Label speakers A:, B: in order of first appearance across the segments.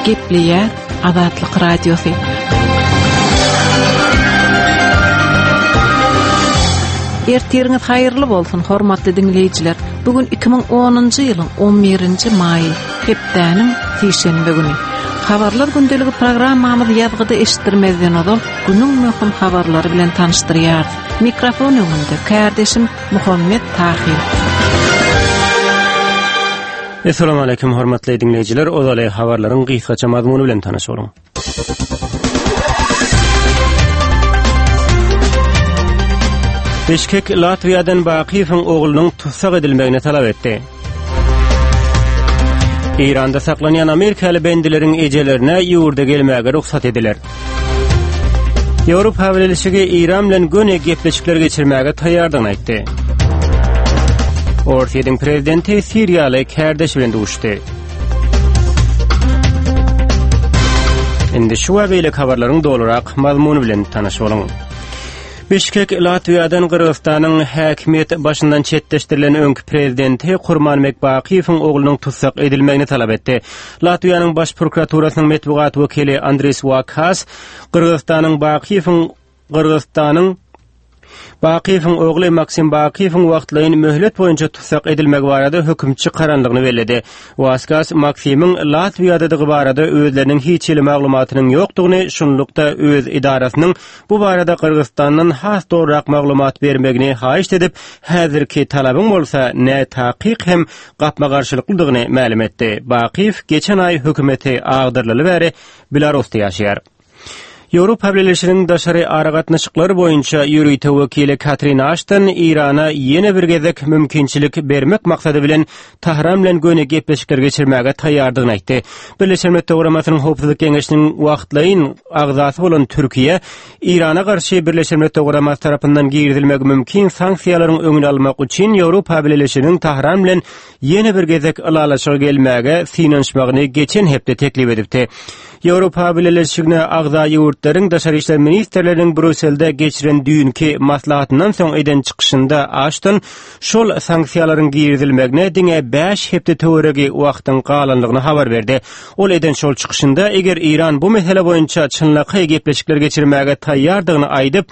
A: Gepleýär Azatlyk Radiosy. Ertiriňiz haýyrly bolsun, hormatly diňleýjiler. Bu gün 2010-njy ýylyň 11-nji maýy, hepdäniň sişenbe güni. Habarlar gündeligi programmamyzy ýazgyda eşitdirmezden ozal, günüň möhüm habarlary bilen tanyşdyrýarys. Mikrofon öňünde kärdeşim Muhammet Tahyr.
B: Essalamu aleýkum hormatly diňleýjiler, ozaly habarlaryň gysgaça mazmuny bilen tanyş boluň. Bişkek Latwiýadan Bakyýewiň oglunyň tussag edilmegini talap etdi. Eýranda saklanýan amerikaly bendileriň ejelerine ýurda gelmäge rugsat ediler. Ýewropa Bileleşigi Eýran bilen göni gepleşikler geçirmäge taýýardygyny aýtdy. Orsýetiň prezidenti siriýaly kärdeşi bilen duşdy. Indi şu we beýleki habarlaryň dolurak mazmuny bilen tanyş boluň. Bişkek Latwiýadan Gyrgyzystanyň häkimiýet başyndan çetleşdirilen öňki prezidenti Kurmanbek Bakyýewiň oglunyň tussag edilmegini talap etdi. Latwiýanyň Baş prokuraturasynyň metbugat wekili Andris Wakas Gyrgyzystanyň Bakyýewiň Gyrgyzystanyň Bakyýewiň ogly Maksim Bakyýewiň wagtlaýyn möhlet boýunça tussag edilmegi barada höküm çykarandygyny belledi. Waskas Maksimiň Latwiýadadygy barada özleriniň hiç hili maglumatynyň ýokdugyny, şunlukda öz edarasynyň bu barada Gyrgyzystandan has dogrurak maglumat bermegini haýyşt edip, häzirki talabyň bolsa nätakyk hem gapma-garşylyklydygyny mälim etdi. Bakyýew geçen aý hökümeti agdarylaly bäri Belarusda ýaşaýar. Ýewropa Bileleşiginiň daşary aragatnaşyklar boýunça ýörite wekili Katrin Aşton Eýrana ýene bir gezek mümkinçilik bermek maksady bilen Tahran bilen göni gepleşikler geçirmäge taýýardygyny aýtdy. Birleşen Milletler Guramasynyň Howpsuzlyk Geňeşiniň wagtlaýyn agzasy bolan Türkiýe Eýrana garşy Birleşen Milletler Guramasy tarapyndan girizilmegi mümkin sanksiýalaryň öňüni almak üçin Ýewropa Bileleşiginiň Tahran bilen ýene bir gezek ylalaşyga gelmäge synanyşmagyny geçen hepde teklip edipdi. Ýewropa Bileleşigine agza ýurtlaryň daşary işler ministrleriniň Brýusselde geçiren düýnki maslahatyndan soň eden çykyşynda Aşton şol sanksiýalaryň girizilmegine diňe bäş hepde töweregi wagtyň galandygyny habar berdi. Ol eden şol çykyşynda eger Eýran bu mesele boýunça çynlakaý gepleşikler geçirmäge taýýardygyny aýdyp,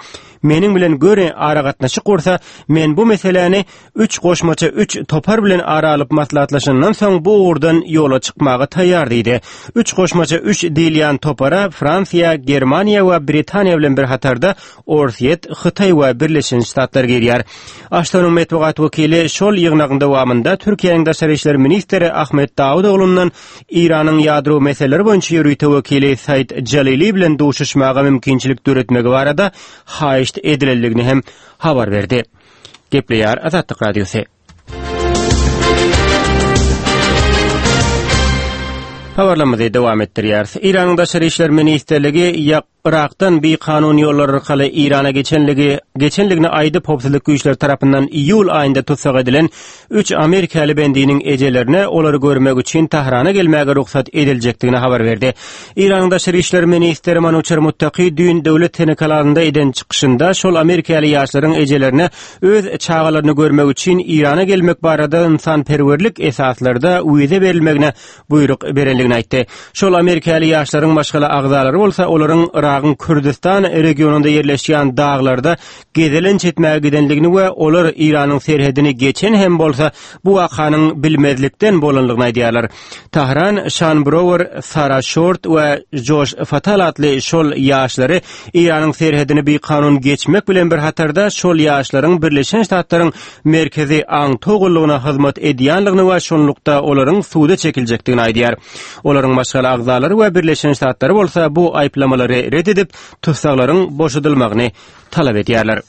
B: meniň bilen göni aragatnaşyk gursa, men bu meseläni üç goşmaça üç topar bilen ara alyp maslahatlaşandan soň bu ugurdan ýola çykmaga taýýar diýdi. Üç goşmaça üç diýilýän topara Fransiýa, Germaniýa we Britaniýa bilen bir hatarda Orsýet, Hytaý we Birleşen Ştatlar girýär. Aştonyň metbugat wekili şol ýygnagyň dowamynda Türkiýäniň daşary işler ministri Ahmet Dawutoglundan Eýranyň ýadro meseleleri boýunça ýörite wekili Said Jalili bilen duşuşmaga mümkinçilik döretmegi barada haýyşt edilendigini hem habar berdi. Gepleýär Azatlyk Radiosy. Habarlarymyzy dowam etdirýäris. Eýranyň Daşary işler ministrligi ýak Yrakdan bikanun ýollar arkaly Eýrana geçenligi geçenligini aýdyp, howpsuzlyk güýçleri tarapyndan iýul aýynda tussag edilen üç amerikaly bendiniň ejelerine olary görmek üçin Tahrana gelmäge rugsat ediljekdigini habar berdi. Eýranyň daşary işler ministri Manuçer Muttaki düýn döwlet telekanalynda eden çykyşynda şol amerikaly ýaşlaryň ejelerine öz çagalaryny görmek üçin Eýrana gelmek barada ynsanperwerlik esaslarda wiza berilmegine buýruk berendigini aýtdy. Şol amerikaly ýaşlaryň maşgala agzalary bolsa olaryň Yragyň Kürdüstan regionynda ýerleşýän daglarda gezelenç etmäge gidendigini we olar Eýranyň serhedini geçen hem bolsa bu wakanyň bilmezlikden bolandygyny aýdýarlar. Tahran Şan Brower, Sara Şort we Joş Fatal atly şol ýaşlary Eýranyň serhedini bikanun geçmek bilen bir hatarda şol ýaşlaryň Birleşen Ştatlaryň Merkezi aňtaw gullugyna hyzmat edýändigini we şonlukda olaryň suda çekiljekdigini aýdýar. Olaryň maşgala agzalary we Birleşen Ştatlary bolsa bu aýyplamalary ret edip, tussaglaryň boşadylmagyny talap edýärler.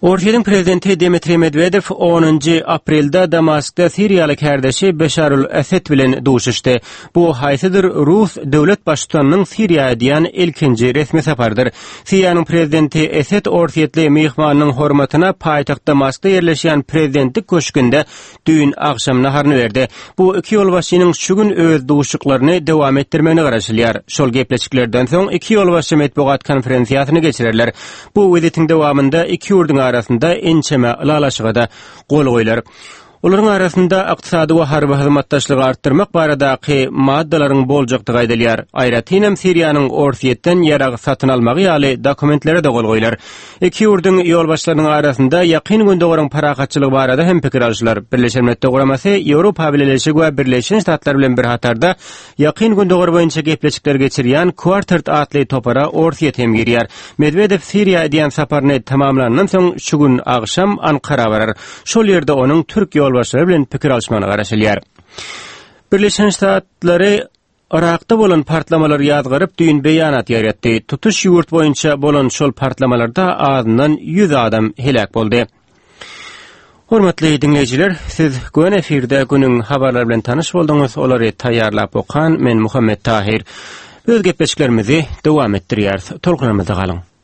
B: Orsýetiň prezidenti Dmitriý Medwedew onunjy aprelde Damaskda siriýaly kärdeşi Beşarul Esed bilen duşuşdy. Bu haýsydyr rus döwlet baştutanynyň Siriýa edýän ilkinji resmi saparydyr. Siriýanyň prezidenti Esed orsýetli myhmanynyň hormatyna paýtagt Damaskda ýerleşýän prezidentlik köşgünde düýn agşam naharyny berdi. Bu iki ýolbaşçynyň şu gün öz duşuşyklaryny dowam etdirmegine garaşylýar. Şol gepleşiklerden soň iki ýolbaşçy metbugat konferensiýasyny geçirerler. Bu wizitiň dowamynda iki ýurduň arasynda ençeme ylalaşyga-da gol goýlar. Olaryň arasynda ykdysady we harby hyzmatdaşlygy artdyrmak baradaky maddalaryň boljakdygy aýdylýar. Aýratynam Siriýanyň Orsýetden ýarag satyn almagy ýaly dokumentlere-de gol goýlar. Iki ýurduň ýolbaşçylarynyň arasynda Ýakyn Gündogaryň parahatçylygy barada hem pikir alşylar. Birleşen Milletler Guramasy, Ýewropa Bileleşigi we Birleşen Ştatlar bilen bir hatarda Ýakyn Gündogar boýunça gepleşikler geçirýän Quartet atly topara Orsýet hem girýär. Medwedew Siriýa edýän saparyny tamamlandan soň şu gün agşam Ankara barar. Şol ýerde onuň türk ýolbaşçylary bilen pikir alyşmagyna garaşylýar. Birleşen Ştatlary Yrakda bolan partlamalary ýazgaryp, düýn beýanat ýaýratdy. Tutuş ýurt boýunça bolan şol partlamalarda azyndan 100 adam heläk boldy. Hormatly diňleýjiler, siz göni efirde günüň habarlary bilen tanyş bolduňyz. Olary taýýarlap okan men Muhammet Tahyr. Öz gepleşiklerimizi dowam etdirýäris. Tolkunlarymyzda galyň.